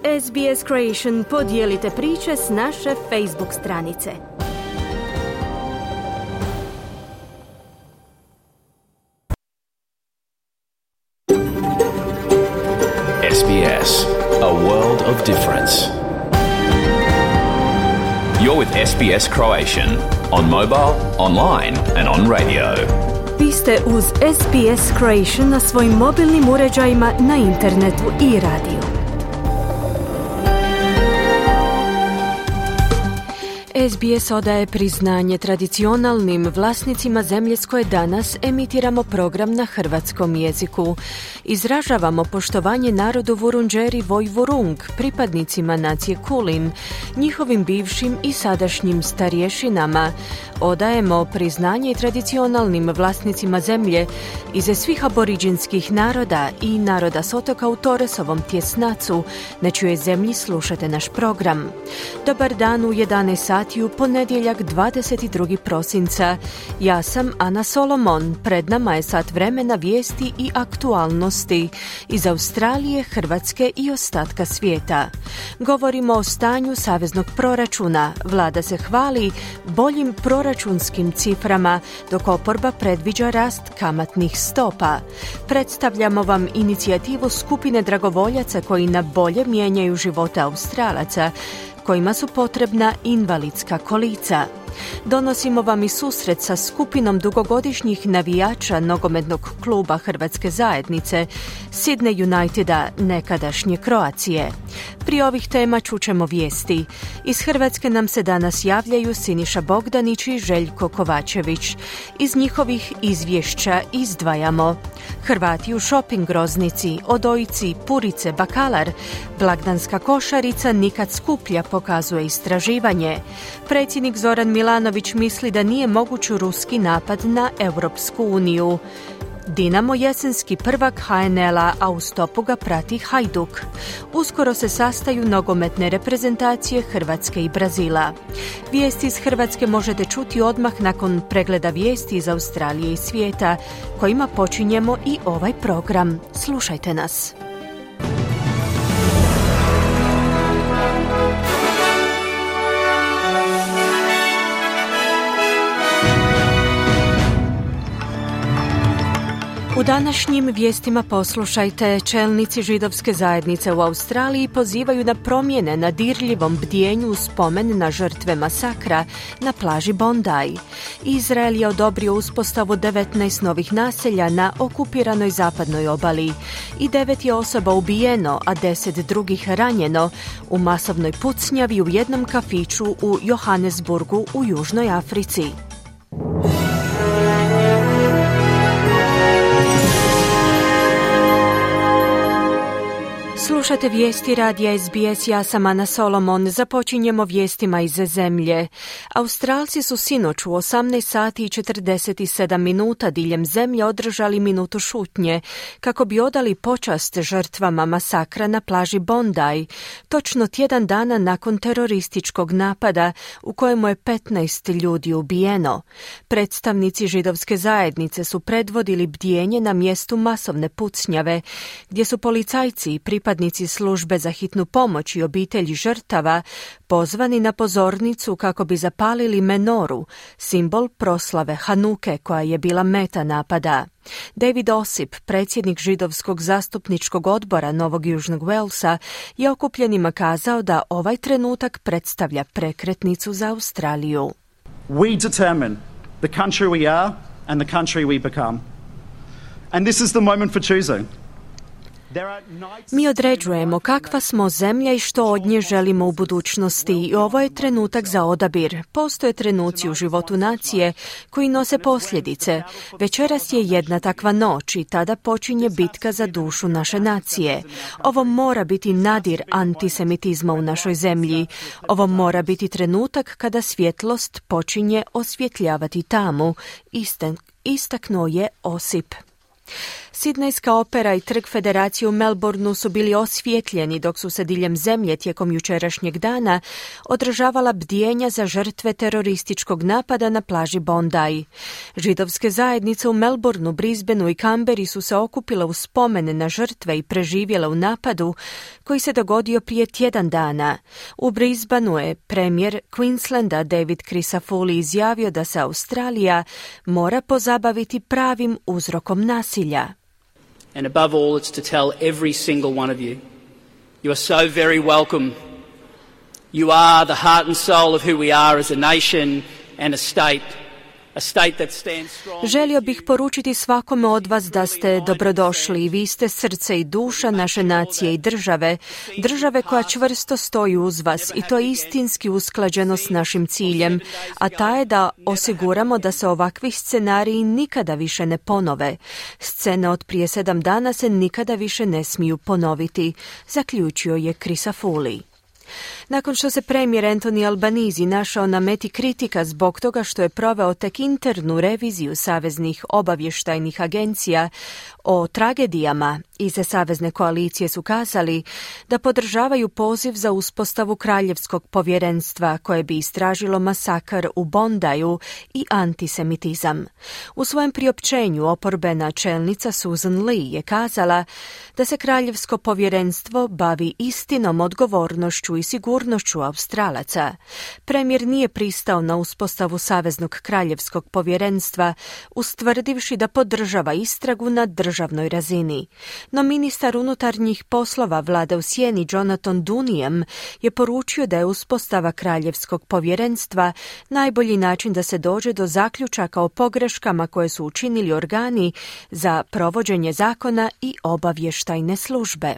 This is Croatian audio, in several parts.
SBS Creation, podijelite priče s naše Facebook stranice. SBS, a world of difference. You're with SBS Croatian, on mobile, online and on radio. Vi ste uz SBS Creation na svojim mobilnim uređajima, na internetu i radiju. SBS odaje priznanje tradicionalnim vlasnicima zemlje s koje danas emitiramo program na hrvatskom jeziku. Izražavamo poštovanje narodu Vurundjeri Vojvurung, pripadnicima nacije Kulin, njihovim bivšim i sadašnjim starješinama. Odajemo priznanje tradicionalnim vlasnicima zemlje iz svih aboriđinskih naroda i naroda s otoka u Torresovom tjesnacu, na čijoj zemlji slušate naš program. Dobar dan u 11 sati u ponedjeljak 22. prosinca. Ja sam Ana Solomon. Pred nama je sat vremena vijesti i aktualnosti iz Australije, Hrvatske i ostatka svijeta. Govorimo o stanju saveznog proračuna. Vlada se hvali boljim proračunskim ciframa, dok oporba predviđa rast kamatnih stopa. Predstavljamo vam inicijativu skupine dragovoljaca koji na bolje mijenjaju živote Australaca, kojima su potrebna invalidska kolica. Donosimo vam i susret sa skupinom dugogodišnjih navijača nogometnog kluba Hrvatske zajednice, Sydney Uniteda, nekadašnje Croacije. Prije ovih tema čućemo vijesti. Iz Hrvatske nam se danas javljaju Siniša Bogdanić i Željko Kovačević. Iz njihovih izvješća izdvajamo Hrvati u shopping groznici, odojci, purice, bakalar, blagdanska košarica nikad skuplja, pokazuje istraživanje. Predsjednik Zoran Milanović misli da nije moguć ruski napad na Europsku uniju. Dinamo jesenski prvak HNL-a, a u stopu ga prati Hajduk. Uskoro se sastaju nogometne reprezentacije Hrvatske i Brazila. Vijesti iz Hrvatske možete čuti odmah nakon pregleda vijesti iz Australije i svijeta, kojima počinjemo i ovaj program. Slušajte nas. U današnjim vijestima poslušajte, čelnici židovske zajednice u Australiji pozivaju na promjene na dirljivom bdijenju u spomen na žrtve masakra na plaži Bondi. Izrael je odobrio uspostavu 19 novih naselja na okupiranoj zapadnoj obali i 9 je osoba ubijeno, a 10 drugih ranjeno u masovnoj pucnjavi u jednom kafiću u Johannesburgu u Južnoj Africi. Slušate vijesti radija SBS, ja sam Ana Solomon. Započinjemo vijestima iz zemlje. Australci su sinoć u 18 sati i 47 minuta diljem zemlje održali minutu šutnje kako bi odali počast žrtvama masakra na plaži Bondi, točno tjedan dana nakon terorističkog napada u kojemu je 15 ljudi ubijeno. Predstavnici židovske zajednice su predvodili bdijenje na mjestu masovne pucnjave, gdje su policajci i pripadnici službe za hitnu pomoć i obitelji žrtava pozvani na pozornicu kako bi zapalili menoru, simbol proslave Hanuke koja je bila meta napada. David Osip, predsjednik židovskog zastupničkog odbora Novog Južnog Walesa, je okupljenima kazao da ovaj trenutak predstavlja prekretnicu za Australiju. We determine the country we are and the country we become. And this is the moment for choosing. Mi određujemo kakva smo zemlja i što od nje želimo u budućnosti i ovo je trenutak za odabir. Postoje trenuci u životu nacije koji nose posljedice. Večeras je jedna takva noć i tada počinje bitka za dušu naše nacije. Ovo mora biti nadir antisemitizma u našoj zemlji. Ovo mora biti trenutak kada svjetlost počinje osvjetljavati tamu, istaknuo je Osip. Sidnejska opera i Trg Federacije u Melbourneu su bili osvijetljeni dok su se diljem zemlje tijekom jučerašnjeg dana održavala bdijenja za žrtve terorističkog napada na plaži Bondi. Židovske zajednice u Melbourneu, Brisbaneu i Canberri su se okupile u spomene na žrtve i preživjele u napadu koji se dogodio prije tjedan dana. U Brisbaneu je premijer Queenslanda David Crisafulli izjavio da se Australija mora pozabaviti pravim uzrokom nasilja. And above all, it's to tell every single one of you, you are so very welcome. You are the heart and soul of who we are as a nation and a state. Želio bih poručiti svakome od vas da ste dobrodošli i vi ste srce i duša naše nacije i države koja čvrsto stoji uz vas i to je istinski usklađeno s našim ciljem, a ta je da osiguramo da se ovakvi scenariji nikada više ne ponove. Scene od prije 7 dana se nikada više ne smiju ponoviti, zaključio je Crisafulli. Nakon što se premijer Anthony Albanese našao na meti kritika zbog toga što je proveo tek internu reviziju saveznih obavještajnih agencija o tragedijama, iz savezne koalicije su kazali da podržavaju poziv za uspostavu kraljevskog povjerenstva koje bi istražilo masakr u Bondiju i antisemitizam. U svojem priopćenju oporbena čelnica Susan Lee je kazala da se kraljevsko povjerenstvo bavi istinom, odgovornošću i sigurnošću Australaca. Premijer nije pristao na uspostavu saveznog kraljevskog povjerenstva, ustvrdivši da podržava istragu na državnoj razini. No ministar unutarnjih poslova vlade u sjeni Jonathan Duniam je poručio da je uspostava kraljevskog povjerenstva najbolji način da se dođe do zaključaka o pogreškama koje su učinili organi za provođenje zakona i obavještajne službe.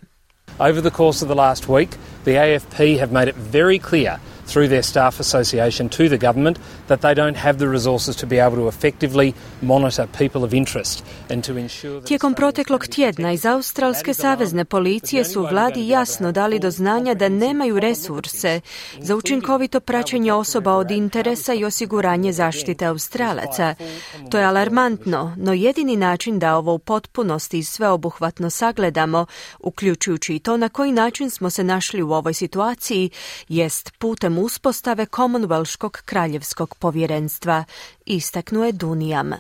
Over the course of the last week, the AFP have made it very clear through their staff association to the government that they don't have the resources to be able to effectively monitor people of interest and to ensure that... Tijekom proteklog tjedna iz Australske savezne policije su vladi jasno dali do znanja da nemaju resurse za učinkovito praćenje osoba od interesa i osiguranje zaštite Australaca. To je alarmantno, no jedini način da ovo u potpunosti i sveobuhvatno sagledamo, uključujući i to na koji način smo se našli u ovoj situaciji, jest putem uspostave Commonwealthskog kraljevskog povjerenstva, istaknuo je Duniam.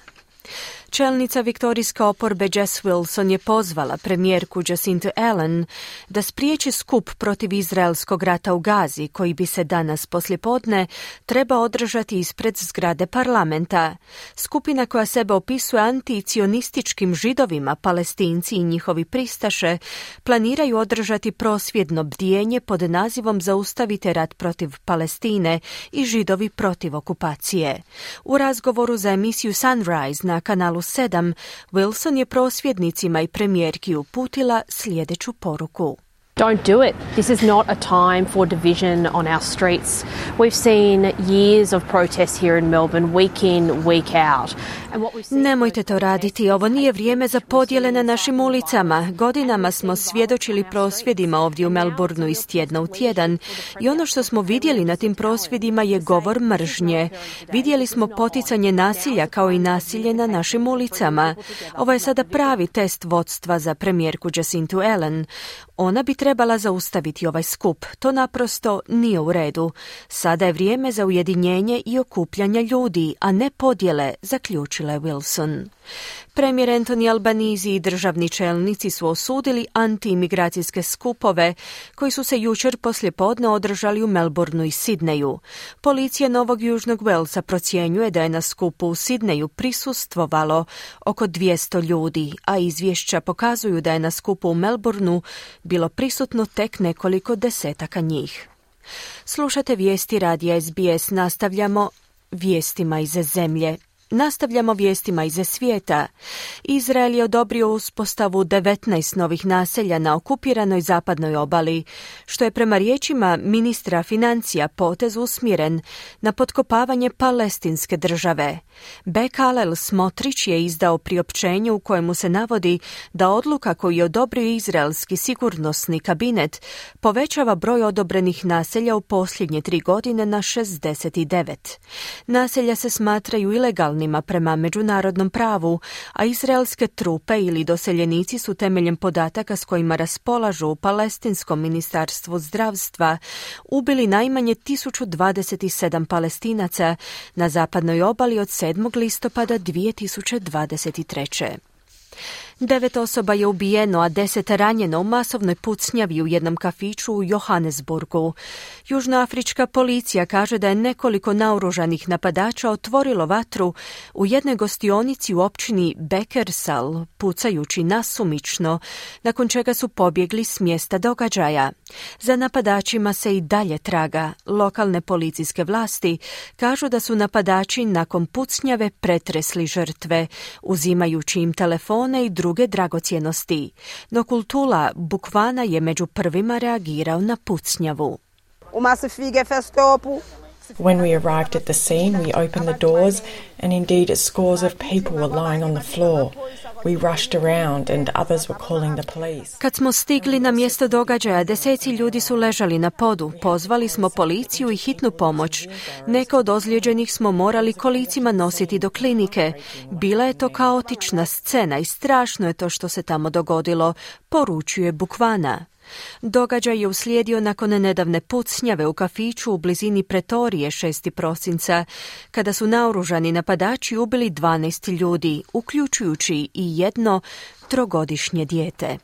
Čelnica viktorijske oporbe Jess Wilson je pozvala premijerku Jacinta Ardern da spriječi skup protiv izraelskog rata u Gazi, koji bi se danas poslijepodne treba održati ispred zgrade parlamenta. Skupina koja sebe opisuje anticionističkim židovima, Palestinci i njihovi pristaše, planiraju održati prosvjedno bdijenje pod nazivom Zaustavite rat protiv Palestine i Židovi protiv okupacije. U razgovoru za emisiju Sunrise na kanalu 7, Wilson je prosvjednicima i premijerki uputila sljedeću poruku. Don't do it. This is not a time for division on our streets. We've seen years of protests here in Melbourne, week in, week out. Nemojte to raditi. Ovo nije vrijeme za podjele na našim ulicama. Godinama smo svjedočili prosvjedima ovdje u Melbourneu iz tjedna u tjedan i ono što smo vidjeli na tim prosvjedima je govor mržnje. Vidjeli smo poticanje nasilja kao i nasilje na našim ulicama. Ovo je sada pravi test vodstva za premijerku Jacintu Ardern. Ona bi trebala zaustaviti ovaj skup. To naprosto nije u redu. Sada je vrijeme za ujedinjenje i okupljanja ljudi, a ne podjele, zaključila je Wilson. Premijer Anthony Albanese i državni čelnici su osudili antiimigracijske skupove koji su se jučer poslijepodne održali u Melbourneu i Sidneju. Policija Novog Južnog Walesa procjenjuje da je na skupu u Sidneju prisustvovalo oko 200 ljudi, a izvješća pokazuju da je na skupu u Melbourneu bilo prisutno tek nekoliko desetaka njih. Slušate vijesti radija SBS, nastavljamo vijestima iz zemlje. Nastavljamo vijestima iz svijeta. Izrael je odobrio uspostavu 19 novih naselja na okupiranoj zapadnoj obali, što je prema riječima ministra financija potez usmjeren na potkopavanje palestinske države. Bezalel Smotrich je izdao priopćenje u kojemu se navodi da odluka koju je odobrio izraelski sigurnosni kabinet povećava broj odobrenih naselja u posljednje 3 godine na 69. Naselja se smatraju ilegalnim legalnima prema međunarodnom pravu, a izraelske trupe ili doseljenici su temeljem podataka s kojima raspolažu u Palestinskom ministarstvu zdravstva ubili najmanje 1027 Palestinaca na zapadnoj obali od 7. listopada 2023. 9 osoba je ubijeno, a 10 ranjeno u masovnoj pucnjavi u jednom kafiću u Johannesburgu. Južnoafrička policija kaže da je nekoliko naoružanih napadača otvorilo vatru u jednoj gostionici u općini Bekersal, pucajući nasumično, nakon čega su pobjegli s mjesta događaja. Za napadačima se i dalje traga. Lokalne policijske vlasti kažu da su napadači nakon pucnjave pretresli žrtve, uzimajući im telefone i druge dragocjenosti. No Kultula Bukvana je među prvima reagirao na pucnjavu. When we arrived at the scene, we opened the doors and indeed scores of people were lying on the floor. We rushed around and others were calling the police. Kad smo stigli na mjesto događaja, deseci ljudi su ležali na podu. Pozvali smo policiju i hitnu pomoć. Neke od ozlijeđenih smo morali kolicima nositi do klinike. Bila je to kaotična scena i strašno je to što se tamo dogodilo, poručuje Bukvana. Događaj je uslijedio nakon nedavne pucnjave u kafiću u blizini Pretorije 6. prosinca, kada su naoružani napadači ubili 12 ljudi, uključujući i jedno 3-godišnje dijete.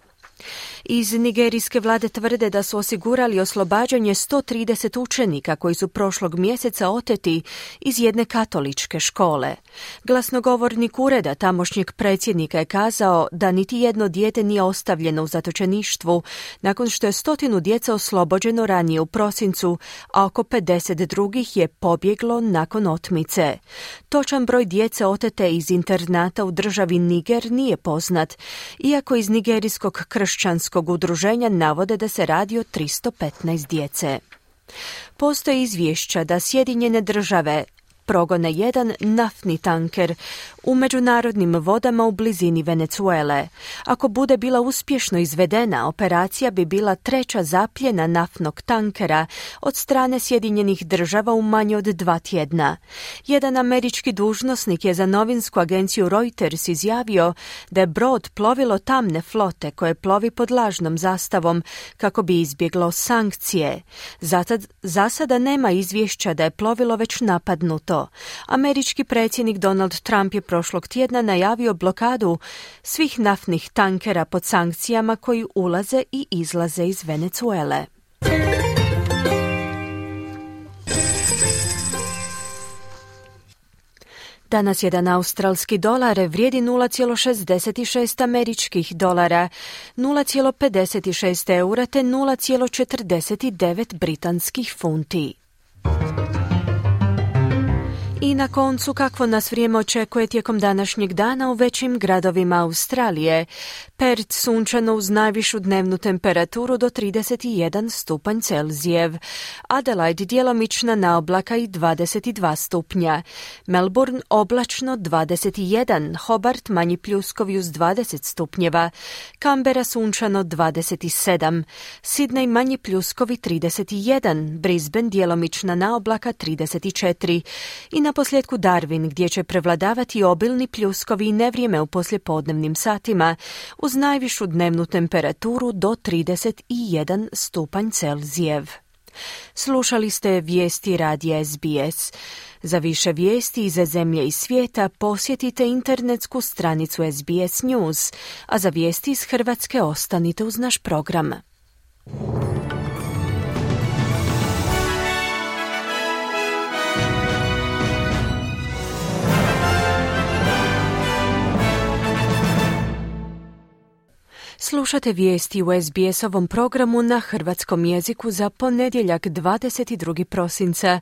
Iz nigerijske vlade tvrde da su osigurali oslobađanje 130 učenika koji su prošlog mjeseca oteti iz jedne katoličke škole. Glasnogovornik ureda tamošnjeg predsjednika je kazao da niti jedno dijete nije ostavljeno u zatočeništvu nakon što je 100 djece oslobođeno ranije u prosincu, a oko 50 drugih je pobjeglo nakon otmice. Točan broj djece otete iz internata u državi Niger nije poznat, iako iz nigerijskog kršćanskog udruženja navode da se radi o 315 djece. Postoje izvješća da Sjedinjene države progone jedan naftni tanker u međunarodnim vodama u blizini Venezuele. Ako bude bila uspješno izvedena, operacija bi bila 3. zapljena naftnog tankera od strane Sjedinjenih država u manje od 2 tjedna. Jedan američki dužnosnik je za novinsku agenciju Reuters izjavio da je brod plovilo tamne flote koje plovi pod lažnom zastavom kako bi izbjeglo sankcije. Za sada nema izvješća da je plovilo već napadnuto. Američki predsjednik Donald Trump je prošlog tjedna najavio blokadu svih naftnih tankera pod sankcijama koji ulaze i izlaze iz Venezuele. Danas jedan australski dolar vrijedi 0,66 američkih dolara, 0,56 eura te 0,49 britanskih funti. I na koncu, kakvo nas vrijeme očekuje tijekom današnjeg dana u većim gradovima Australije. Perth sunčano uz najvišu dnevnu temperaturu do 31 stupanj Celzijev. Adelaide djelomična naoblaka i 22 stupnja. Melbourne oblačno 21, Hobart manji pljuskovi uz 20 stupnjeva. Canberra sunčano 27, Sydney manji pljuskovi 31, Brisbane djelomična naoblaka 34 i na posljedku Darwin gdje će prevladavati obilni pljuskovi i nevrijeme u poslijepodnevnim satima uz najvišu dnevnu temperaturu do 31 stupanj Celzijev. Slušali ste vijesti radija SBS. Za više vijesti iz zemlje i svijeta posjetite internetsku stranicu SBS News, a za vijesti iz Hrvatske ostanite uz naš program. Slušate vijesti u SBS-ovom programu na hrvatskom jeziku za ponedjeljak 22. prosinca.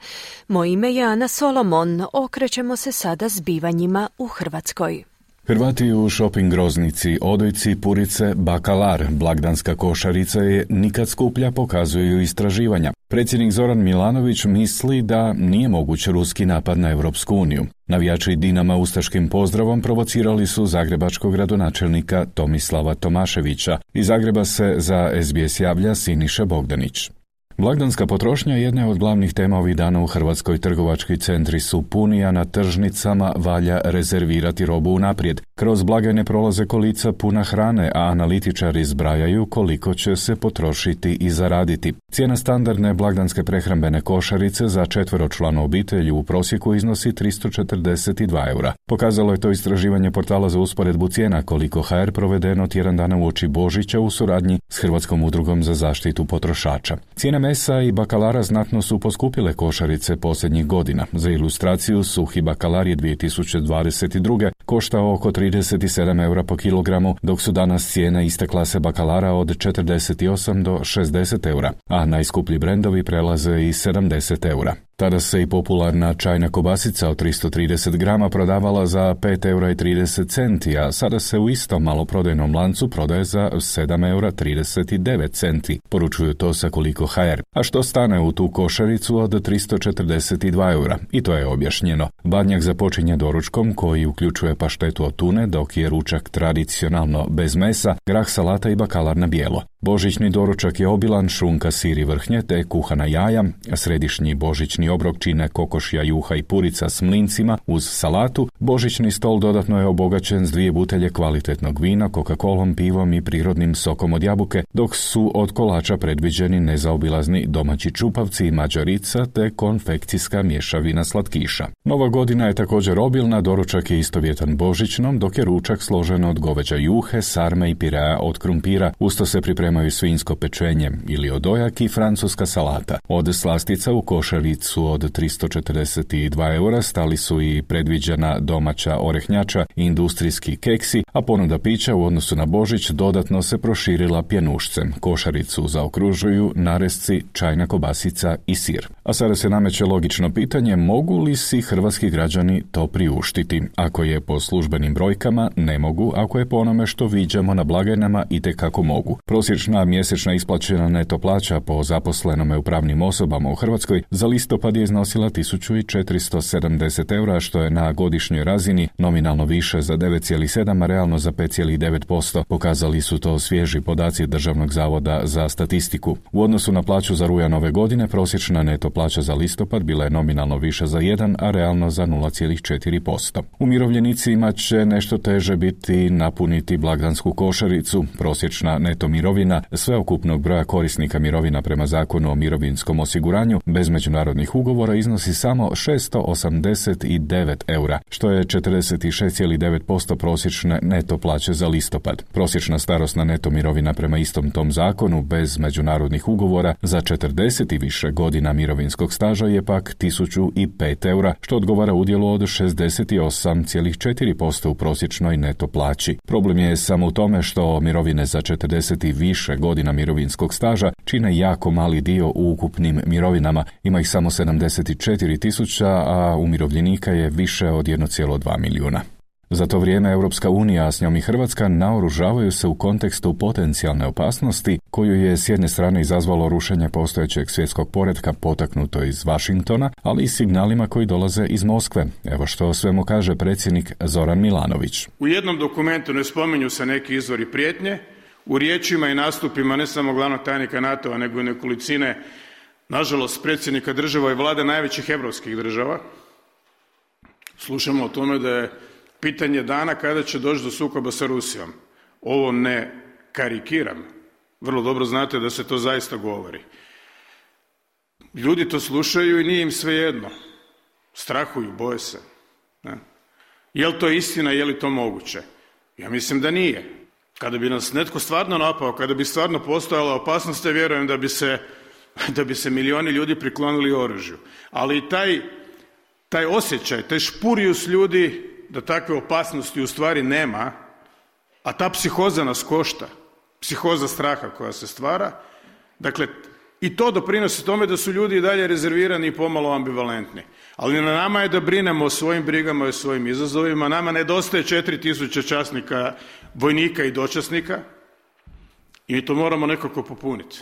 Moje ime je Ana Solomon. Okrećemo se sada zbivanjima u Hrvatskoj. Hrvati u shopping groznici, odojci, purice, bakalar, blagdanska košarica je nikad skuplja, pokazuju istraživanja. Predsjednik Zoran Milanović misli da nije moguć ruski napad na Europsku uniju. Navijači Dinama ustaškim pozdravom provocirali su zagrebačkog gradonačelnika Tomislava Tomaševića. Iz Zagreba se za SBS javlja Siniša Bogdanić. Blagdanska potrošnja jedna je od glavnih tema ovih dana u Hrvatskoj. Trgovački centri su puni, a na tržnicama valja rezervirati robu unaprijed. Kroz blagajne prolaze kolica puna hrane, a analitičari zbrajaju koliko će se potrošiti i zaraditi. Cijena standardne blagdanske prehrambene košarice za 4-članu obitelj u prosjeku iznosi 342 eura. Pokazalo je to istraživanje portala za usporedbu cijena Koliko HR provedeno tjedan dana uoči Božića u suradnji s Hrvatskom udrugom za zaštitu potrošača. Cijene mesa i bakalara znatno su poskupile košarice posljednjih godina. Za ilustraciju, suhi bakalar je 2022. koštao oko 37 eura po kilogramu, dok su danas cijene iste klase bakalara od 48 do 60 eura, a najskuplji brendovi prelaze i 70 eura. Tada se i popularna čajna kobasica od 330 grama prodavala za 5 eura i 30 centi, a sada se u istom maloprodajnom lancu prodaje za 7 eura 39 centi, poručuju to sa Koliko HR. A što stane u tu košaricu od 342 eura? I to je objašnjeno. Badnjak započinje doručkom koji uključuje paštetu od tune, dok je ručak tradicionalno bez mesa, grah, salata i bakalar na bijelo. Božićni doručak je obilan, šunka, sir i vrhnje te kuhana jaja, središnji božićni obrok čine kokošja, juha i purica s mlincima uz salatu. Božićni stol dodatno je obogaćen s 2 butelje kvalitetnog vina, Coca-Colom, pivom i prirodnim sokom od jabuke, dok su od kolača predviđeni nezaobilazni domaći čupavci i mađarica te konfekcijska mješavina slatkiša. Nova godina je također obilna, doručak je istovjetan božićnom, dok je ručak složen od goveđa juhe, sarme i pirea od krumpira. Usto se pripremaju svinjsko pečenje ili odojak i francuska salata. Od slastica u košaricu od 342 eura stali su i predviđena domaća orehnjača i industrijski keksi, a ponuda pića u odnosu na Božić dodatno se proširila pjenušcem. Košaricu zaokružuju naresci, čajna kobasica i sir. A sada se nameće logično pitanje, mogu li si hrvatski građani to priuštiti? Ako je po službenim brojkama, ne mogu, ako je po onome što viđamo na blagajnama, itekako mogu. Prosječna mjesečna isplaćena neto plaća po zaposlenome u pravnim osobama u Hrvatskoj za listopad je iznosila 1470 eura, što je na godišnjoj razini nominalno više za 9,7, a realno za 5,9%. Pokazali su to svježi podaci Državnog zavoda za statistiku. U odnosu na plaću za rujan ove godine, prosječna neto plaća za listopad bila je nominalno više za 1, a realno za 0,4%. Umirovljenicima će nešto teže biti napuniti blagdansku košaricu. Prosječna neto mirovina sveukupnog broja korisnika mirovina prema Zakonu o mirovinskom osiguranju bez međunarodnih ugovora iznosi samo 689 eura, što je 46,9% prosječne neto plaće za listopad. Prosječna starosna neto mirovina prema istom tom zakonu bez međunarodnih ugovora za 40 i više godina mirovinskog staža je pak 1005 eura, što odgovara udjelu od 68,4% u prosječnoj neto plaći. Problem je samo u tome što mirovine za 40 i više godina mirovinskog staža čine jako mali dio u ukupnim mirovinama, ima ih samo 74.000, a umirovljenika je više od 1,2 milijuna. Za to vrijeme Europska unija, a s njom i Hrvatska, naoružavaju se u kontekstu potencijalne opasnosti koju je s jedne strane izazvalo rušenje postojećeg svjetskog poretka potaknuto iz Washingtona, ali i signalima koji dolaze iz Moskve. Evo što o svemu kaže predsjednik Zoran Milanović. U jednom dokumentu ne spominju se neki izvori prijetnje, u riječima i nastupima ne samo glavnog tajnika NATO-a, nego i nekolicine, nažalost, predsjednika država i vlade najvećih europskih država. Slušamo o tome da je pitanje dana kada će doći do sukoba sa Rusijom. Ovo ne karikiram. Vrlo dobro znate da se to zaista govori. Ljudi to slušaju i nije im svejedno. Strahuju, boje se. Ne? Je li to istina, je li to moguće? Ja mislim da nije. Kada bi nas netko stvarno napao, kada bi stvarno postojala opasnost, ja vjerujem da bi se milijuni ljudi priklonili oružju. Ali i taj osjećaj, taj špurijus ljudi da takve opasnosti u stvari nema, a ta psihoza nas košta, psihoza straha koja se stvara, dakle, i to doprinosi tome da su ljudi i dalje rezervirani i pomalo ambivalentni. Ali na nama je da brinemo o svojim brigama i o svojim izazovima. Nama nedostaje 4000 časnika, vojnika i dočasnika i to moramo nekako popuniti.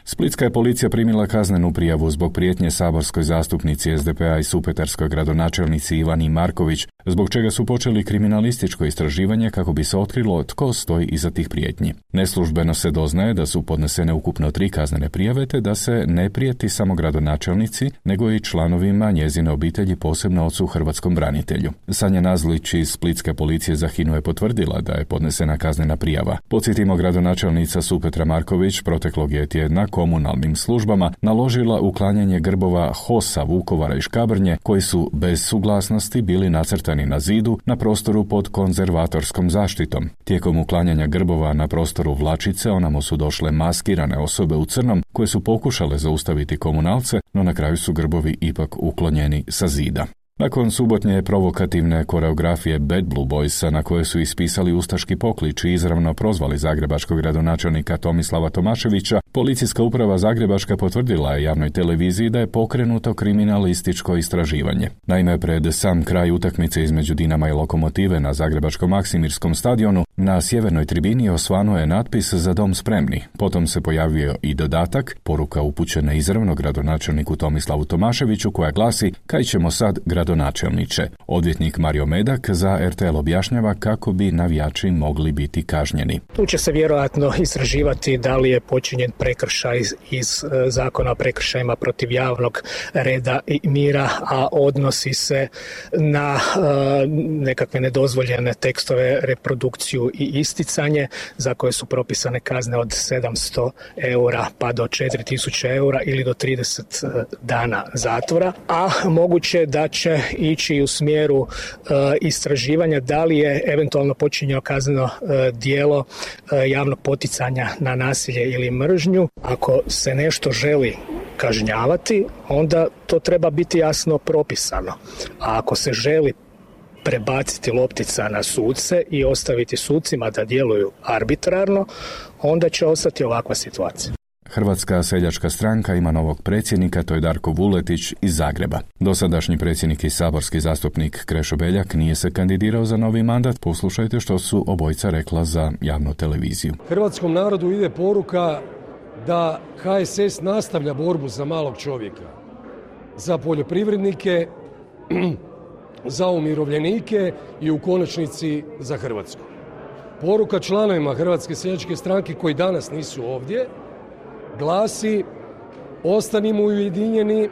Splitska je policija primila kaznenu prijavu zbog prijetnje saborskoj zastupnici SDP-a i supetarskoj gradonačelnici Ivani Marković, zbog čega su počeli kriminalističko istraživanje kako bi se otkrilo tko stoji iza tih prijetnji. Neslužbeno se doznaje da su podnesene ukupno 3 kaznene prijave te da se ne prijeti samo gradonačelnici, nego i članovima njezine obitelji, posebno ocu hrvatskom branitelju. Sanja Nazlić iz Splitske policije za HINA-u je potvrdila da je podnesena kaznena prijava. Podsjetimo, gradonačelnica Supetra Marković proteklog je tjedna komunalnim službama naložila uklanjanje grbova HOS-a Vukovara i Škabrnje koji su bez suglasnosti bili nacrtani na zidu na prostoru pod konzervatorskom zaštitom. Tijekom uklanjanja grbova na prostoru Vlačice onamo su došle maskirane osobe u crnom koje su pokušale zaustaviti komunalce, no na kraju su grbovi ipak uklonjeni sa zida. Nakon subotnje provokativne koreografije Bad Blue Boysa na koje su ispisali ustaški poklič i izravno prozvali zagrebačkog gradonačelnika Tomislava Tomaševića, policijska uprava Zagrebačka potvrdila je javnoj televiziji da je pokrenuto kriminalističko istraživanje. Naime, pred sam kraj utakmice između Dinama i Lokomotive na zagrebačkom Maksimirskom stadionu na sjevernoj tribini osvanuo je natpis "Za dom spremni". Potom se pojavio i dodatak, poruka upućena izravno gradonačelniku Tomislavu Tomaševiću koja glasi: "Kaj ćemo sad, gradonačelniče?" Odvjetnik Mario Medak za RTL objašnjava kako bi navijači mogli biti kažnjeni. Tu će se vjerojatno istraživati da li je počinjen prekršaj iz Zakona o prekršajima protiv javnog reda i mira, a odnosi se na nekakve nedozvoljene tekstove, reprodukciju i isticanje za koje su propisane kazne od 700 eura pa do 4000 eura ili do 30 dana zatvora, a moguće da će ići u smjeru istraživanja da li je eventualno počinjeno kazneno djelo javnog poticanja na nasilje ili mržnju. Ako se nešto želi kažnjavati, onda to treba biti jasno propisano. A ako se želi prebaciti loptica na suce i ostaviti sucima da djeluju arbitrarno, onda će ostati ovakva situacija. Hrvatska seljačka stranka ima novog predsjednika, to je Darko Vuletić iz Zagreba. Dosadašnji predsjednik i saborski zastupnik Krešo Beljak nije se kandidirao za novi mandat. Poslušajte što su obojica rekla za javnu televiziju. Hrvatskom narodu ide poruka da HSS nastavlja borbu za malog čovjeka, za poljoprivrednike, za umirovljenike i u konačnici za Hrvatsku. Poruka članovima Hrvatske seljačke stranke koji danas nisu ovdje glasi: ostanimo ujedinjeni,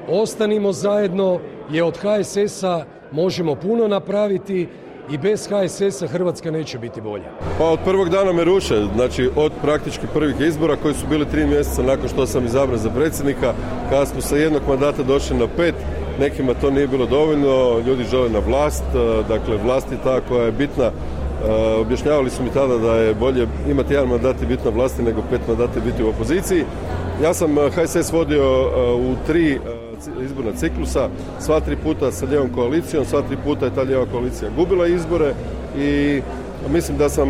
ostanimo zajedno, jer od HSS-a možemo puno napraviti i bez HSS-a Hrvatska neće biti bolja. Pa od prvog dana me ruše, znači od praktički prvih izbora koji su bili 3 mjeseca nakon što sam izabran za predsjednika, kada smo sa jednog mandata došli na 5, nekima to nije bilo dovoljno, ljudi žele na vlast, dakle vlast je ta koja je bitna. Objašnjavali su mi tada da je bolje imati jedan mandat i biti na vlasti nego 5 mandata i biti u opoziciji. Ja sam HSS vodio u 3 izborna ciklusa, sva 3 puta sa lijevom koalicijom, sva 3 puta je ta lijeva koalicija gubila izbore i mislim da sam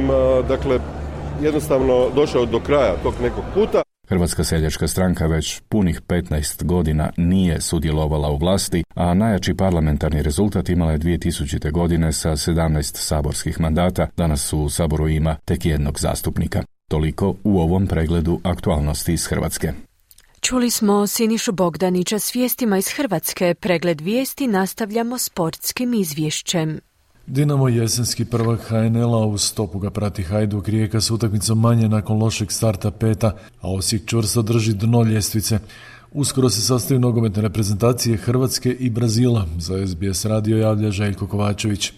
jednostavno došao do kraja tog nekog puta. Hrvatska seljačka stranka već punih 15 godina nije sudjelovala u vlasti, a najjači parlamentarni rezultat imala je 2000. godine sa 17 saborskih mandata. Danas su u Saboru ima tek jednog zastupnika. Toliko u ovom pregledu aktualnosti iz Hrvatske. Čuli smo Sinišu Bogdanića s vijestima iz Hrvatske. Pregled vijesti nastavljamo sportskim izvješćem. Dinamo jesenski prvak HNL-a, uz stopu ga prati Hajduk. Rijeka s utakmicom manje nakon lošeg starta 5, a Osijek čvrsto drži dno ljestvice. Uskoro se sastaju nogometne reprezentacije Hrvatske i Brazila. Za SBS radio javlja Željko Kovačević.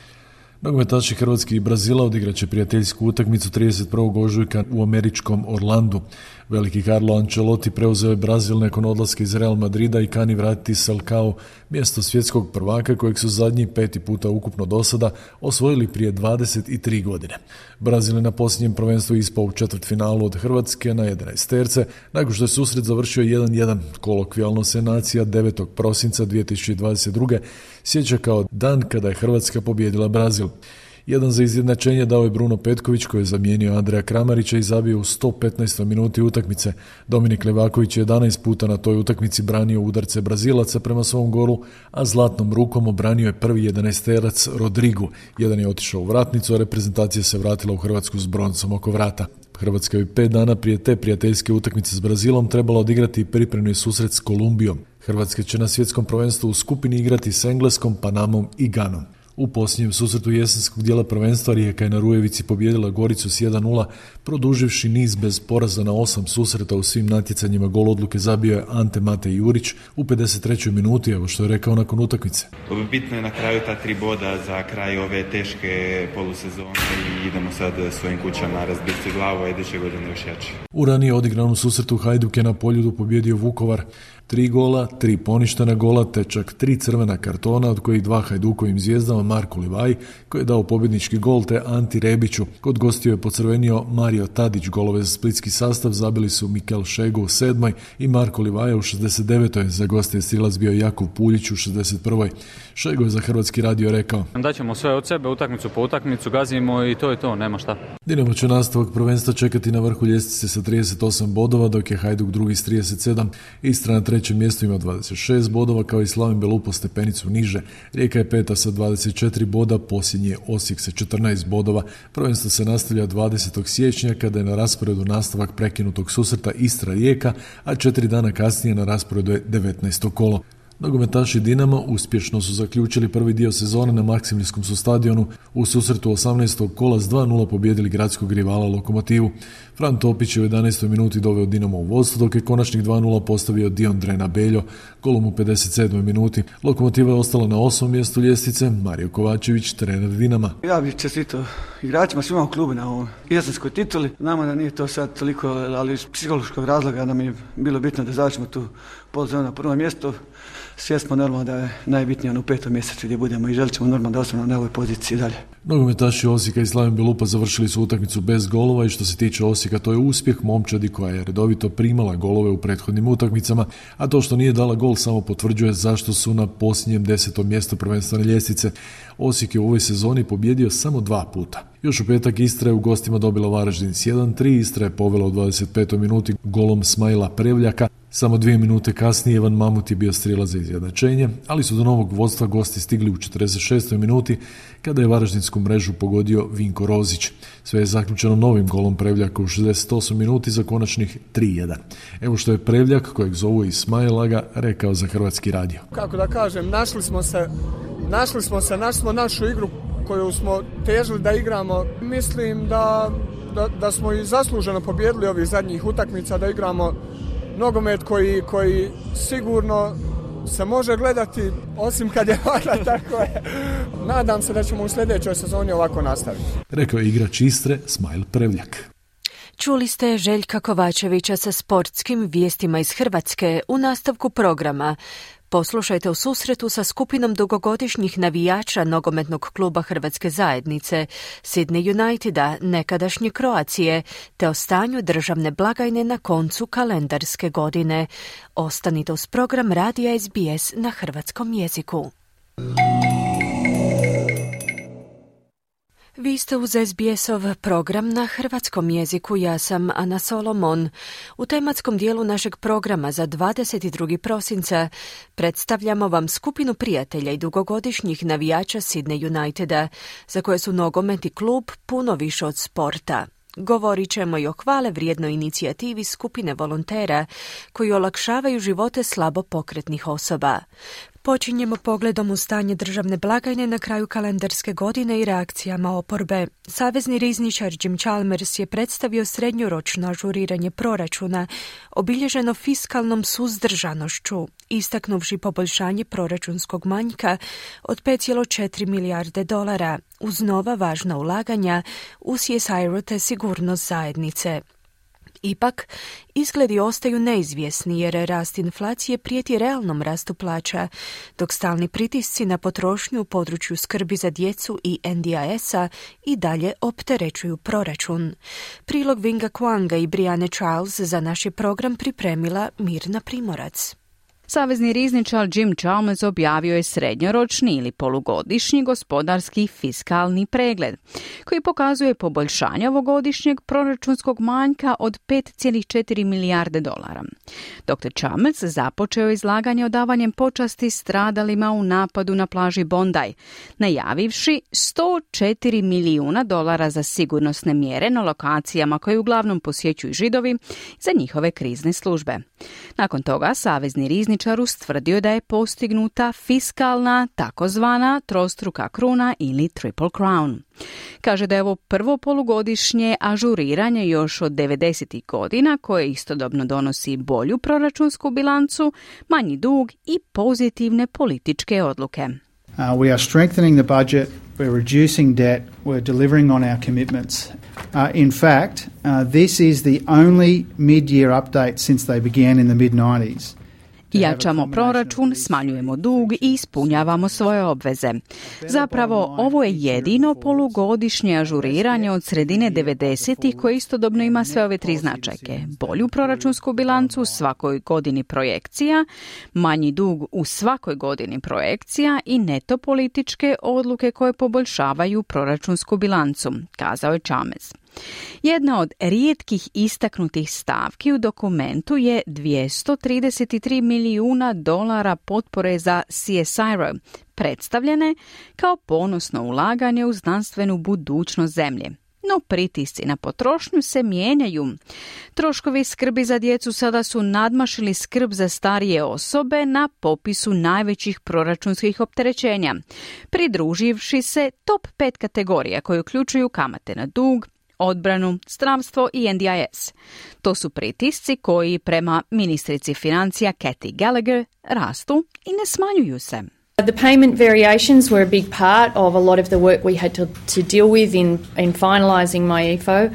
Nogometaši Hrvatske i Brazila odigrat će prijateljsku utakmicu 31. ožujka u američkom Orlandu. Veliki Carlo Ancelotti preuzeo je Brazil nakon odlaska iz Real Madrida i kani vratiti Selkao, mjesto svjetskog prvaka kojeg su zadnji 5. puta ukupno do sada osvojili prije 23 godine. Brazil je na posljednjem prvenstvu ispao u četvrtfinalu od Hrvatske na 11 terce, nakon što je susret završio 1-1. Kolokvijalno se nacija 9. prosinca 2022. sjeća kao dan kada je Hrvatska pobijedila Brazil. Jedan za izjednačenje dao je Bruno Petković koji je zamijenio Andreja Kramarića i zabio u 115. minuti utakmice. Dominik Levaković je 11 puta na toj utakmici branio udarce Brazilaca prema svom golu, a zlatnom rukom obranio je prvi 11-terac Rodrigu. Jedan je otišao u vratnicu, a reprezentacija se vratila u Hrvatsku s broncom oko vrata. Hrvatska je 5 dana prije te prijateljske utakmice s Brazilom trebala odigrati pripremni susret s Kolumbijom. Hrvatska će na svjetskom prvenstvu u skupini igrati s Engleskom, Panamom i Ganom. U posljednjem susretu jesenskog dijela prvenstva Rijeka je na Rujevici pobijedila Goricu s 1:0, produživši niz bez poraza na 8 susreta u svim natjecanjima. Gol odluke zabio je Ante Matej Jurić u 53. minuti, evo što je rekao nakon utakmice. Bitno je na kraju ta 3 boda za kraj ove teške polusezone i idemo sad svojim kućama razbiti glavu, a iduće godine još jači. U ranije odigranom susretu Hajduk je na Poljudu pobijedio Vukovar. 3 gola, 3 poništena gola, te čak 3 crvena kartona, od kojih 2 Hajdukovim zvijezdama, Marku Livaji, koji je dao pobjednički gol, te Anti Rebiću. Kod gostiju je pocrvenio Mario Tadić. Golove za splitski sastav zabili su Mikel Šego u 7. i Marko Livaja u 69. Za goste je strilac bio Jakub Puljić u 61. Šego je za Hrvatski radio rekao: daćemo sve od sebe, utakmicu po utakmicu, gazimo i to je to, nema šta. Dinamo će nastavak prvenstva čekati na vrhu ljestvice sa 38 bodova, dok je Hajduk drugi s 37. Istra na 3. mjestu ima 26 bodova, kao i Slaven Belupo stepenicu niže. Rijeka je 5. sa 24 boda, posljednji je Osijek sa 14 bodova. Prvenstvo se nastavlja 20. siječnja kada je na rasporedu nastavak prekinutog susreta Istra-Rijeka, a 4 dana kasnije na rasporedu je 19. kolo. Nogometaši Dinama uspješno su zaključili prvi dio sezone na Maksimirskom su stadionu. U susretu 18. kola s 2:0 pobijedili gradskog rivala Lokomotivu. Fran Topić je u 11. minuti doveo Dinamo u vodstvo, dok je konačnih 2:0 postavio Dion Drena Beljo golom u 57. minuti. Lokomotiva je ostala na 8. mjestu ljestvice. Mario Kovačević, trener Dinama. Ja bih čestitao igračima, svima u klubu na ovoj jesenskoj tituli. Nama da nije to sad toliko, ali iz psihološkog razloga nam je bilo bitno da završimo tu poluzonu na prvom mjestu. Svjesno normalno da je najbitnije u 5. mjesecu gdje budemo i želit ćemo normalno da ostanemo na ovoj poziciji dalje. Nogometaši Osijeka i Slaven Belupa završili su utakmicu bez golova i što se tiče Osijeka to je uspjeh momčadi koja je redovito primala golove u prethodnim utakmicama, a to što nije dala gol samo potvrđuje zašto su na posljednjem 10. mjestu prvenstvene ljestvice. Osijek je u ovoj sezoni pobjedio samo 2 puta. Još u petak Istra je u gostima dobila Varaždin s 1:3, Istra je povela u 25. minuti golom Smajla Prevljaka. Samo 2 minute kasnije Ivan Mamut je bio strijelac za izjednačenje, ali su do novog vodstva gosti stigli u 46. minuti kada je varaždinsku mrežu pogodio Vinko Rozić. Sve je zaključeno novim golom Prevljaka u 68. minuti za konačnih 3:1. Evo što je Prevljak, kojeg zovu Ismailaga, rekao za Hrvatski radio. Kako da kažem, našli smo našu igru koju smo težili da igramo. Mislim da smo i zasluženo pobijedili ovih zadnjih utakmica, da igramo nogomet koji sigurno se može gledati, osim kad je vada, tako je. Nadam se da ćemo u sljedećoj sezoni ovako nastaviti. Rekao je igrač Istre Smajl Prevljak. Čuli ste Željka Kovačevića sa sportskim vijestima iz Hrvatske. U nastavku programa poslušajte u susretu sa skupinom dugogodišnjih navijača nogometnog kluba Hrvatske zajednice, Sydney Uniteda, nekadašnje Kroacije, te o stanju državne blagajne na koncu kalendarske godine. Ostanite uz program Radija SBS na hrvatskom jeziku. Vi ste uz SBS-ov program na hrvatskom jeziku, ja sam Ana Solomon. U tematskom dijelu našeg programa za 22. prosinca predstavljamo vam skupinu prijatelja i dugogodišnjih navijača Sydney Uniteda, za koje su nogomet i klub puno više od sporta. Govorit ćemo i o hvale vrijednoj inicijativi skupine volontera koji olakšavaju živote slabo pokretnih osoba. Počinjemo pogledom u stanje državne blagajne na kraju kalendarske godine i reakcijama oporbe. Savezni rizničar Jim Chalmers je predstavio srednjoročno ažuriranje proračuna, obilježeno fiskalnom suzdržanošću, istaknuvši poboljšanje proračunskog manjka od 5,4 milijarde dolara, uz nova važna ulaganja u CSIRO te sigurnost zajednice. Ipak, izgledi ostaju neizvjesni jer rast inflacije prijeti realnom rastu plaća, dok stalni pritisci na potrošnju u području skrbi za djecu i NDIS-a i dalje opterećuju proračun. Prilog Vinga Kwanga i Brianne Charles za naš je program pripremila Mirna Primorac. Savezni rizničar Jim Chalmers objavio je srednjoročni ili polugodišnji gospodarski fiskalni pregled, koji pokazuje poboljšanje ovogodišnjeg proračunskog manjka od 5,4 milijarde dolara. Dr. Chalmers započeo izlaganje odavanjem počasti stradalima u napadu na plaži Bondi, najavivši $104 milijuna za sigurnosne mjere na lokacijama koje uglavnom posjećuju Židovi za njihove krizne službe. Nakon toga savezni rizničar ustvrdio da je postignuta fiskalna, takozvana trostruka kruna ili triple crown. Kaže da je ovo prvo polugodišnje ažuriranje još od 90. godina koje istodobno donosi bolju proračunsku bilancu, manji dug i pozitivne političke odluke. We are strengthening the budget, we're reducing debt, we're delivering on our commitments. In fact, this is the only mid-year update since they began in the mid-90s. Jačamo proračun, smanjujemo dug i ispunjavamo svoje obveze. Zapravo, ovo je jedino polugodišnje ažuriranje od sredine 90-ih koje istodobno ima sve ove tri značajke. Bolju proračunsku bilancu u svakoj godini projekcija, manji dug u svakoj godini projekcija i neto političke odluke koje poboljšavaju proračunsku bilancu, kazao je Chalmers. Jedna od rijetkih istaknutih stavki u dokumentu je $233 milijuna potpore za CSIRO, predstavljene kao ponosno ulaganje u znanstvenu budućnost zemlje. No pritisci na potrošnju se mijenjaju. Troškovi skrbi za djecu sada su nadmašili skrb za starije osobe na popisu najvećih proračunskih opterećenja, pridruživši se top 5 kategorija koje uključuju kamate na dug, odbranu, zdravstvo i NDIS. To su pritisci koji prema ministrici financija Kathy Gallagher rastu i ne smanjuju se. The payment variations were a big part of a lot of the work we had to deal with in finalising my EFO.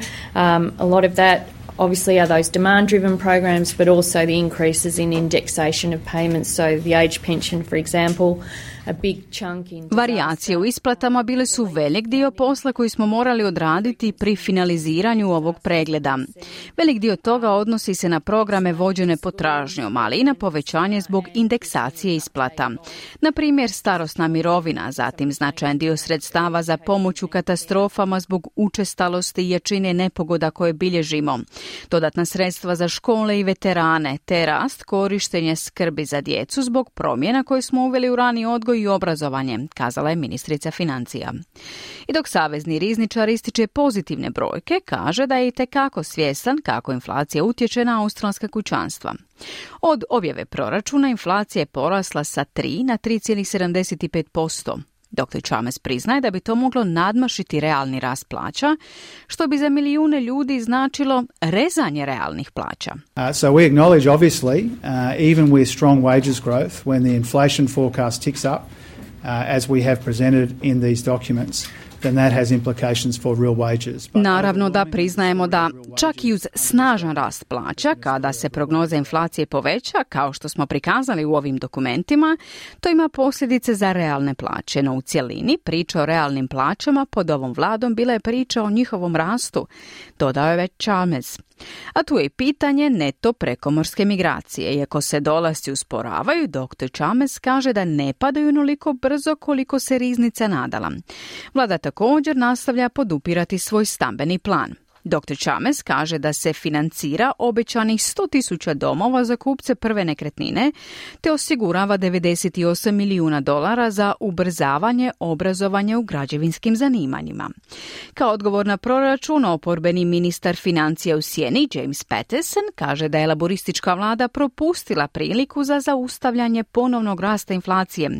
A lot of that obviously are those demand-driven programs, but also the increases in indexation of payments. So the age pension, for example, a big chunk in... Varijacije u isplatama bile su velik dio posla koji smo morali odraditi pri finaliziranju ovog pregleda. Velik dio toga odnosi se na programe vođene potražnjom, ali i na povećanje zbog indeksacije isplata. Na primjer, starosna mirovina, zatim značajan dio sredstava za pomoć u katastrofama zbog učestalosti i jačine nepogoda koje bilježimo, dodatna sredstva za škole i veterane, te rast korištenja skrbi za djecu zbog promjena koje smo uveli u rani odgoj i obrazovanje, kazala je ministrica financija. I dok savezni rizničar ističe pozitivne brojke, kaže da je itekako svjestan kako inflacija utječe na australska kućanstva. Od objave proračuna inflacija je porasla sa 3 na 3,75%. Dr. Chalmers priznaje da bi to moglo nadmašiti realni rast plaća, što bi za milijune ljudi značilo rezanje realnih plaća. So we acknowledge, obviously, even with strong wages growth, when the inflation forecast ticks up, as we have presented in these documents, then that has implications for real wages. Naravno da priznajemo da čak i uz snažan rast plaća, kada se prognoza inflacije poveća, kao što smo prikazali u ovim dokumentima, to ima posljedice za realne plaće, no u cjelini priča o realnim plaćama pod ovom vladom bila je priča o njihovom rastu, dodao je već Chalmers. A tu je i pitanje neto prekomorske migracije. Iako se dolasci usporavaju, dr. Chalmers kaže da ne padaju onoliko brzo koliko se riznica nadala. Vlada također nastavlja podupirati svoj stambeni plan. Dr. Chalmers kaže da se financira obećanih 100.000 domova za kupce prve nekretnine, te osigurava $98 milijuna za ubrzavanje obrazovanja u građevinskim zanimanjima. Kao odgovor na proračun, oporbeni ministar financija u sjeni James Paterson kaže da je laboristička vlada propustila priliku za zaustavljanje ponovnog rasta inflacije.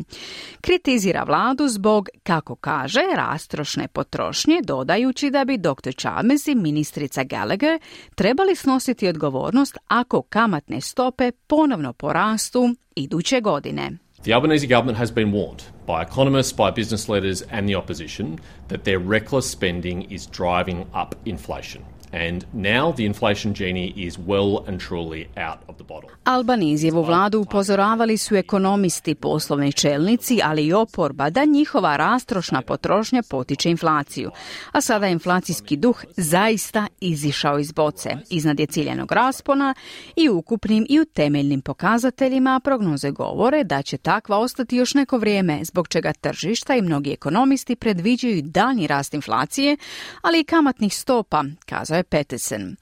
Kritizira vladu zbog, kako kaže, rastrošne potrošnje, dodajući da bi dr. Chalmers i ministrica Gallagher trebali snositi odgovornost ako kamatne stope ponovno porastu iduće godine. The Albanese government has been warned by economists, by business leaders and the opposition that their reckless spending is driving up inflation. And now the inflation genie is well and truly out of the bottle. Albanizijevu vladu upozoravali su ekonomisti, poslovni čelnici, ali i oporba da njihova rastrošna potrošnja potiče inflaciju. A sada je inflacijski duh zaista izišao iz boce. Iznad je ciljanog raspona i ukupnim i u temeljnim pokazateljima prognoze govore da će takva ostati još neko vrijeme, zbog čega tržišta i mnogi ekonomisti predviđaju daljnji rast inflacije, ali i kamatnih stopa, kazao je Peterson.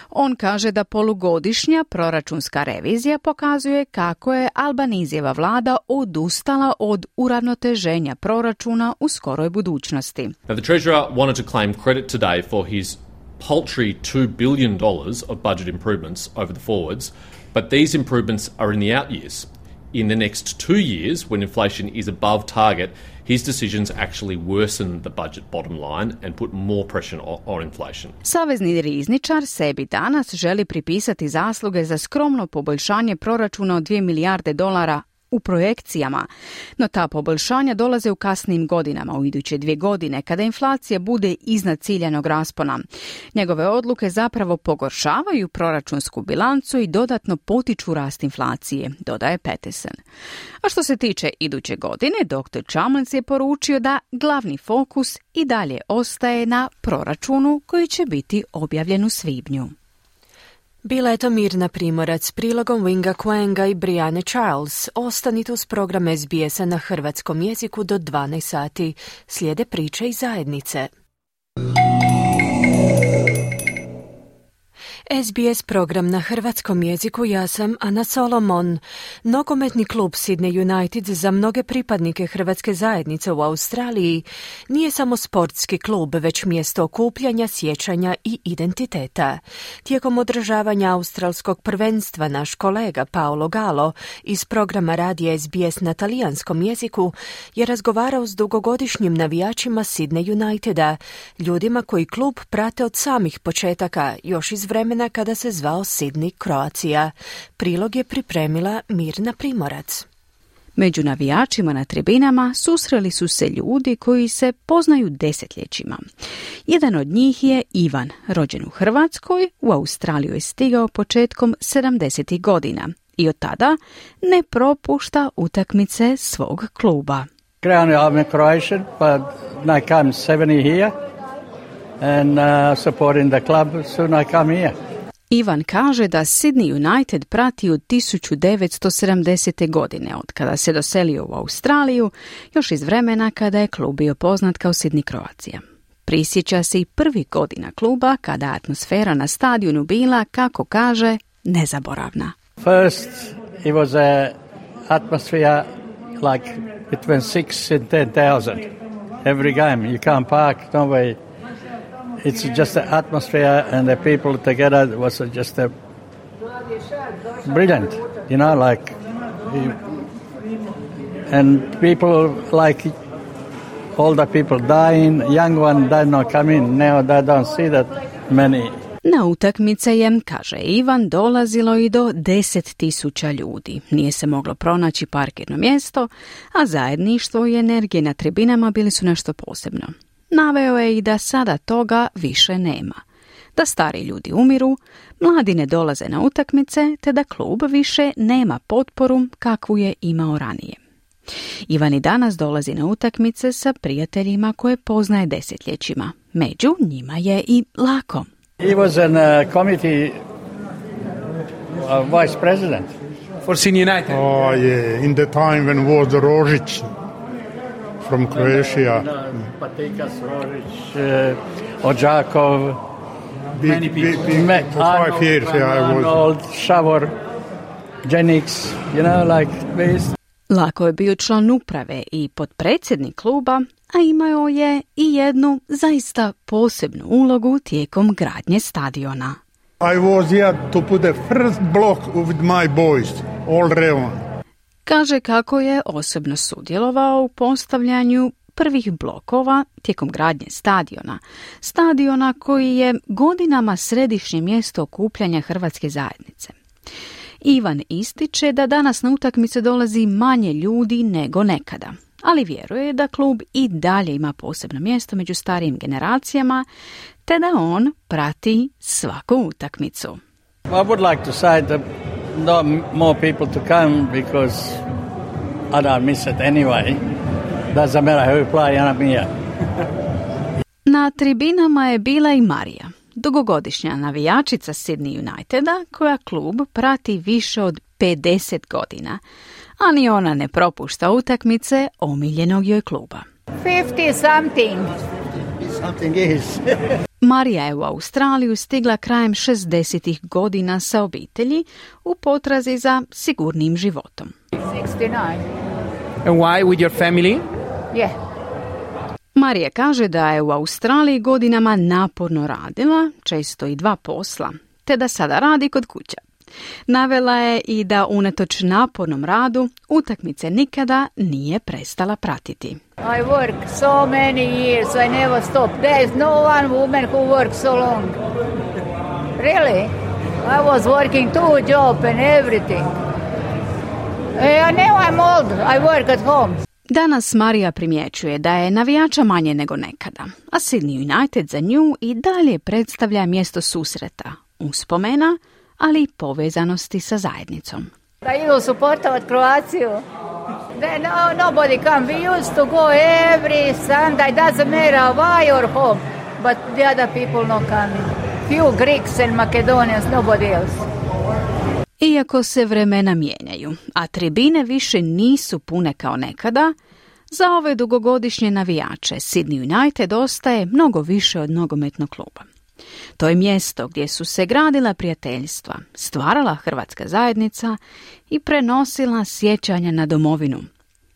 On kaže da polugodišnja proračunska revizija pokazuje kako je Albanizijeva vlada odustala od uravnoteženja proračuna u skoroj budućnosti. Now, the Treasurer wanted to claim credit today for his paltry $2 billion of budget improvements over the forwards, but these improvements are in the out years. In the next 2 years, when inflation is above target, his decisions actually worsen the budget bottom line and put more pressure on inflation. Savezni rizničar sebi danas želi pripisati zasluge za skromno poboljšanje proračuna od $2 milijarde u projekcijama, no ta poboljšanja dolaze u kasnim godinama, u iduće 2 godine, kada inflacija bude iznad ciljanog raspona. Njegove odluke zapravo pogoršavaju proračunsku bilancu i dodatno potiču rast inflacije, dodaje Peterson. A što se tiče iduće godine, dr. Chalmers je poručio da glavni fokus i dalje ostaje na proračunu koji će biti objavljen u svibnju. Bila je to Mirna Primorac s prilogom Winga Quanga i Brianne Charles. Ostanite uz program SBS-a na hrvatskom jeziku do 12 sati. Slijede priče iz zajednice. SBS program na hrvatskom jeziku, ja sam Ana Solomon. Nogometni klub Sydney United za mnoge pripadnike hrvatske zajednice u Australiji nije samo sportski klub, već mjesto okupljanja, sjećanja i identiteta. Tijekom održavanja australskog prvenstva naš kolega Paolo Galo iz programa radija SBS na talijanskom jeziku je razgovarao s dugogodišnjim navijačima Sydney Uniteda, ljudima koji klub prate od samih početaka, još iz vremena kada se zvao Sydney Croatia. Prilog je pripremila Mirna Primorac. Među navijačima na tribinama susreli su se ljudi koji se poznaju desetljećima. Jedan od njih je Ivan, rođen u Hrvatskoj, u Australiju je stigao početkom 70. godina i od tada ne propušta utakmice svog kluba. I'm a Croatian, but I come 70 here and supporting the club, soon I come here. Ivan kaže da Sydney United prati od 1970. godine, od kada se doselio u Australiju, još iz vremena kada je klub bio poznat kao Sydney Croatia. Prisjeća se i prvih godina kluba, kada atmosfera na stadionu bila, kako kaže, nezaboravna. First, it was a atmosphere like between 6 and 10,000 every game. You can't park, no way. It's just the atmosphere and the people together was just brilliant, you know, like, and people like older people dying, young one did not come in, now they don't see that many. Na utakmice je, kaže Ivan, dolazilo i do 10.000 ljudi. Nije se moglo pronaći parkirno mjesto, a zajedništvo i energije na tribinama bili su nešto posebno. Naveo je i da sada toga više nema. Da stari ljudi umiru, mladi ne dolaze na utakmice, te da klub više nema potporu kakvu je imao ranije. Ivan i danas dolazi na utakmice sa prijateljima koje poznaje desetljećima. Među njima je i Lako. He was in a committee vice president for Sydney United. Oh yeah, in the time when was the Rožić from Croatia. Patikas, Rožić, Odžakov, many people. For 5 years, yeah, I was. Arnold, Šavor, Jennings, you know, like this. Lako je bio član uprave i potpredsjednik kluba, a imao je i jednu zaista posebnu ulogu tijekom gradnje stadiona. I was here to put the first block with my boys, all around. Kaže kako je osobno sudjelovao u postavljanju prvih blokova tijekom gradnje stadiona koji je godinama središnje mjesto okupljanja hrvatske zajednice. Ivan ističe da danas na utakmice dolazi manje ljudi nego nekada, ali vjeruje da klub i dalje ima posebno mjesto među starijim generacijama, te da on prati svaku utakmicu. I would like to say that not more people to come because I don't miss it anyway. Doesn't matter who play, I'm here. Na tribinama je bila i Marija, dugogodišnja navijačica Sydney Uniteda koja klub prati više od 50 godina, a ni ona ne propušta utakmice omiljenog joj kluba. 50 something. Something is. Marija je u Australiju stigla krajem 60-ih godina sa obitelji u potrazi za sigurnim životom. 69. And why with your family? Yeah. Marija kaže da je u Australiji godinama naporno radila, često i 2 posla, te da sada radi kod kuće. Navela je i da unatoč napornom radu utakmice nikada nije prestala pratiti. I work so many years, I never stop. There is no one woman who works so long. Really? I was working 2 jobs and everything. Now I'm old, I work at home. Danas Marija primjećuje da je navijača manje nego nekada, a Sydney United za nju i dalje predstavlja mjesto susreta, uspomena, ali i povezanosti sa zajednicom. Da idu supportovat Kroaciju. Nobody come. We used to go every Sunday, doesn't matter why or home, but the other people not coming. Few Greeks and Macedonians, nobody else. Iako se vremena mijenjaju, a tribine više nisu pune kao nekada, za ove dugogodišnje navijače Sydney United ostaje mnogo više od nogometnog kluba. To je mjesto gdje su se gradila prijateljstva, stvarala hrvatska zajednica i prenosila sjećanja na domovinu.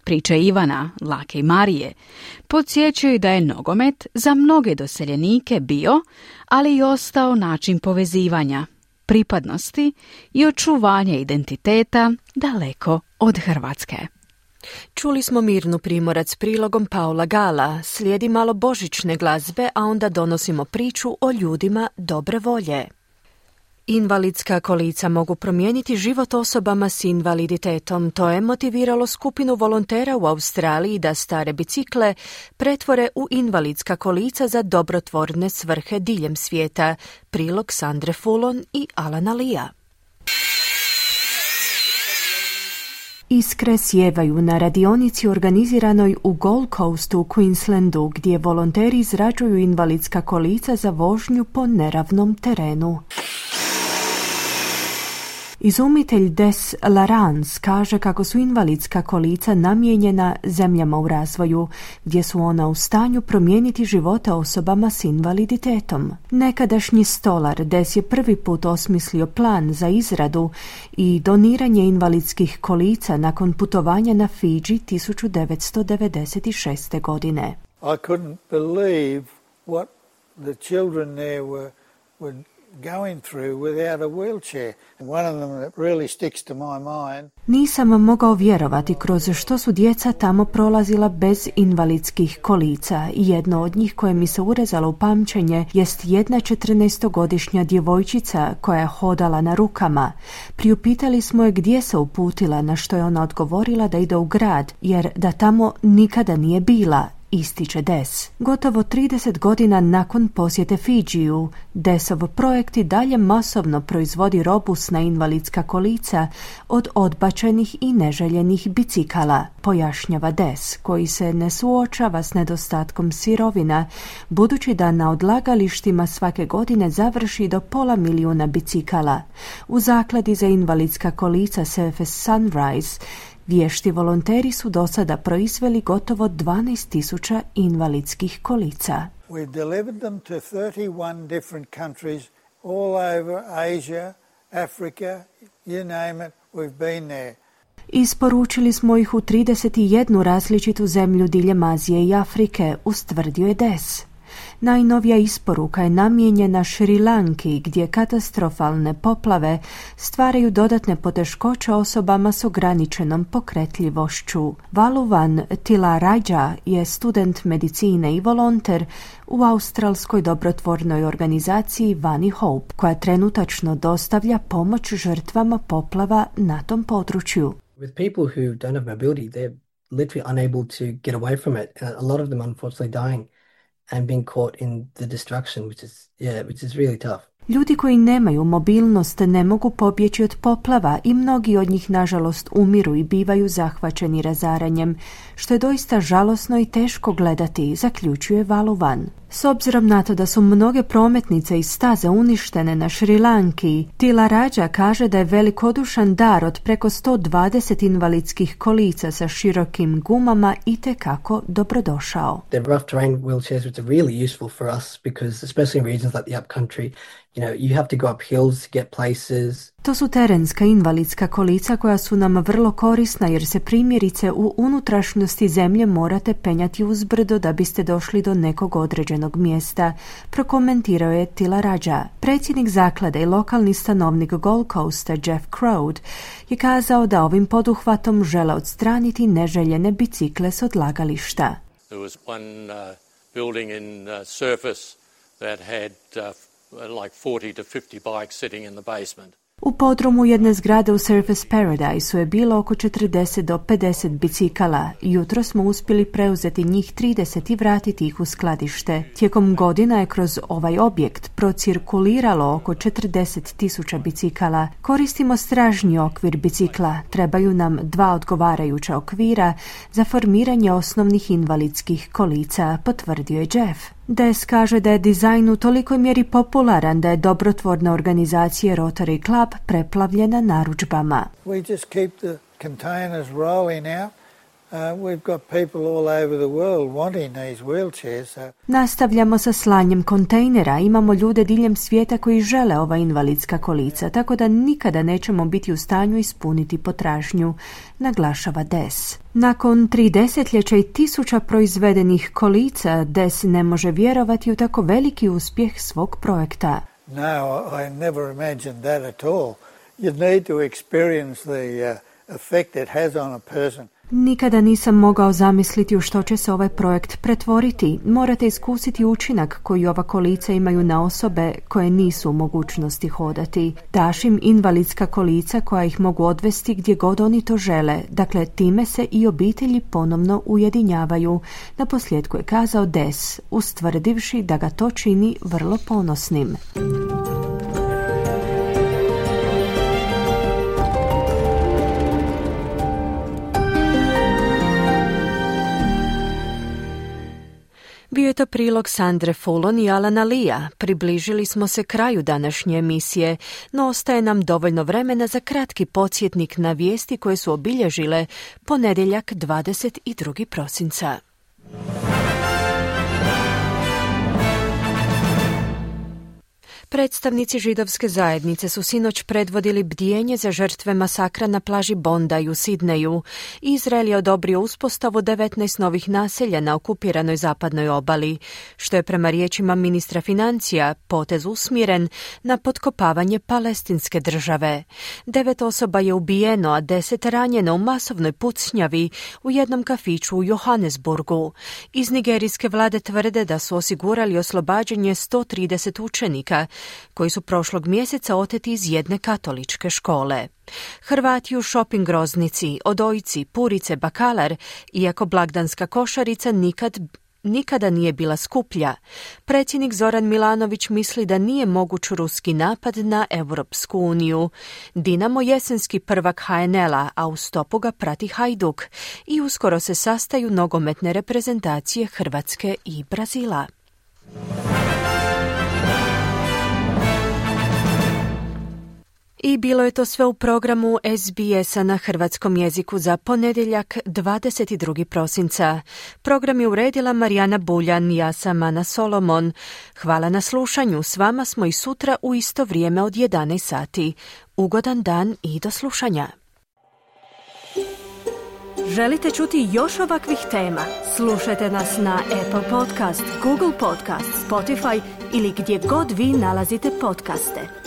Priče Ivana, Lake i Marije podsjećaju da je nogomet za mnoge doseljenike bio, ali i ostao način povezivanja, pripadnosti i očuvanja identiteta daleko od Hrvatske. Čuli smo Mirnu Primorac prilogom Paula Gala, slijedi malo božićne glazbe, a onda donosimo priču o ljudima dobre volje. Invalidska kolica mogu promijeniti život osobama s invaliditetom. To je motiviralo skupinu volontera u Australiji da stare bicikle pretvore u invalidska kolica za dobrotvorne svrhe diljem svijeta. Prilog Sandre Fulon i Alana Lija. Iskre sjevaju na radionici organiziranoj u Gold Coastu u Queenslandu, gdje volonteri izrađuju invalidska kolica za vožnju po neravnom terenu. Izumitelj Des Larans kaže kako su invalidska kolica namijenjena zemljama u razvoju, gdje su ona u stanju promijeniti živote osobama s invaliditetom. Nekadašnji stolar Des je prvi put osmislio plan za izradu i doniranje invalidskih kolica nakon putovanja na Fidži 1996. godine. I couldn't believe what the children there were going through without a wheelchair. One of them that really sticks to my mind. Nisam mogao vjerovati kroz što su djeca tamo prolazila bez invalidskih kolica. Jedno od njih koje mi se urezalo u pamćenje jest jedna 14-godišnja djevojčica koja je hodala na rukama. Priupitali smo je gdje se uputila, na što je ona odgovorila da ide u grad, jer da tamo nikada nije bila. Ističe Des. Gotovo 30 godina nakon posjete Fidžiju, Desov projekt i dalje masovno proizvodi robusna invalidska kolica od odbačenih i neželjenih bicikala, pojašnjava Des, koji se ne suočava s nedostatkom sirovina, budući da na odlagalištima svake godine završi do 500.000 bicikala. U zakladi za invalidska kolica Surface Sunrise vješti volonteri su do sada proizveli gotovo 12.000 invalidskih kolica. We've delivered them to 31 different countries all over Asia, Africa, you name it, we've been there. Isporučili smo ih u 31 različitu zemlju diljem Azije i Afrike, ustvrdio je Des. Najnovija isporuka je namijenjena Šri Lanki, gdje katastrofalne poplave stvaraju dodatne poteškoće osobama s ograničenom pokretljivošću. Valuvan Tilaraja je student medicine i volonter u australskoj dobrotvornoj organizaciji Vani Hope, koja trenutačno dostavlja pomoć žrtvama poplava na tom području. With people who don't have mobility, literally unable to get away from it. A lot of them unfortunately dying and being caught in the destruction, which is really tough. Ljudi koji nemaju mobilnost ne mogu pobjeći od poplava i mnogi od njih nažalost umiru i bivaju zahvaćeni razaranjem, što je doista žalosno i teško gledati, zaključuje Valuvan. S obzirom na to da su mnoge prometnice i staze uništene na Šri Lanki, Tila Rađa kaže da je velikodušan dar od preko 120 invalidskih kolica sa širokim gumama itekako dobrodošao. The rough terrain wheelchairs which are really useful for us because especially in regions like the upcountry, you have to go up hills to get places. To su terenska invalidska kolica koja su nam vrlo korisna jer se primjerice u unutrašnjosti zemlje morate penjati uzbrdo da biste došli do nekog određenog mjesta, prokomentirao je Tila Rađa. Predsjednik zaklade i lokalni stanovnik Gold Coasta Jeff Crowd je kazao da ovim poduhvatom žele odstraniti neželjene bicikle s odlagališta. There was one building in Surface that had like 40 to 50 bikes sitting in the basement. U podrumu jedne zgrade u Surface Paradise je bilo oko 40 do 50 bicikala. Jutro smo uspjeli preuzeti njih 30 i vratiti ih u skladište. Tijekom godina je kroz ovaj objekt procirkuliralo oko 40.000 bicikala. Koristimo stražnji okvir bicikla. Trebaju nam 2 odgovarajuća okvira za formiranje osnovnih invalidskih kolica, potvrdio je Jeff. Des kaže da je dizajn u tolikoj mjeri popularan da je dobrotvorna organizacija Rotary Club preplavljena narudžbama. We just keep the containers rolling out. We've got people all over the world wanting these wheelchairs. Nastavljamo sa slanjem kontejnera. Imamo ljude diljem svijeta koji žele ova invalidska kolica, tako da nikada nećemo biti u stanju ispuniti potražnju, naglašava Des. Nakon 3 desetljeća i 1000 proizvedenih kolica, Des ne može vjerovati u tako veliki uspjeh svog projekta. No, I never imagined that at all. You need to experience the effect it has on a person. Nikada nisam mogao zamisliti u što će se ovaj projekt pretvoriti. Morate iskusiti učinak koji ova kolica imaju na osobe koje nisu u mogućnosti hodati. Daš im invalidska kolica koja ih mogu odvesti gdje god oni to žele. Dakle, time se i obitelji ponovno ujedinjavaju. Naposljetku je kazao Des, ustvrdivši da ga to čini vrlo ponosnim. Bio je to prilog Sandre Fulon i Alana Lea. Približili smo se kraju današnje emisije, no ostaje nam dovoljno vremena za kratki podsjetnik na vijesti koje su obilježile ponedjeljak 22. prosinca. Predstavnici židovske zajednice su sinoć predvodili bdijenje za žrtve masakra na plaži Bondi u Sidneju. Izrael je odobrio uspostavu 19 novih naselja na okupiranoj zapadnoj obali, što je prema riječima ministra financija potez usmjeren na potkopavanje palestinske države. 9 osoba je ubijeno, a 10 ranjeno u masovnoj pucnjavi u jednom kafiću u Johannesburgu. Iz nigerijske vlade tvrde da su osigurali oslobađanje 130 učenika koji su prošlog mjeseca oteti iz jedne katoličke škole. Hrvati u shopping groznici, odojci, purice, bakalar, iako blagdanska košarica nikada nije bila skuplja. Predsjednik Zoran Milanović misli da nije moguć ruski napad na Europsku uniju. Dinamo jesenski prvak HNL-a, a u stopu ga prati Hajduk i uskoro se sastaju nogometne reprezentacije Hrvatske i Brazila. I bilo je to sve u programu SBS-a na hrvatskom jeziku za ponedjeljak 22. prosinca. Program je uredila Marijana Buljan, ja sam Ana Solomon. Hvala na slušanju, s vama smo i sutra u isto vrijeme od 11 sati. Ugodan dan i do slušanja. Želite čuti još ovakvih tema? Slušajte nas na Apple Podcast, Google Podcast, Spotify ili gdje god vi nalazite podcaste.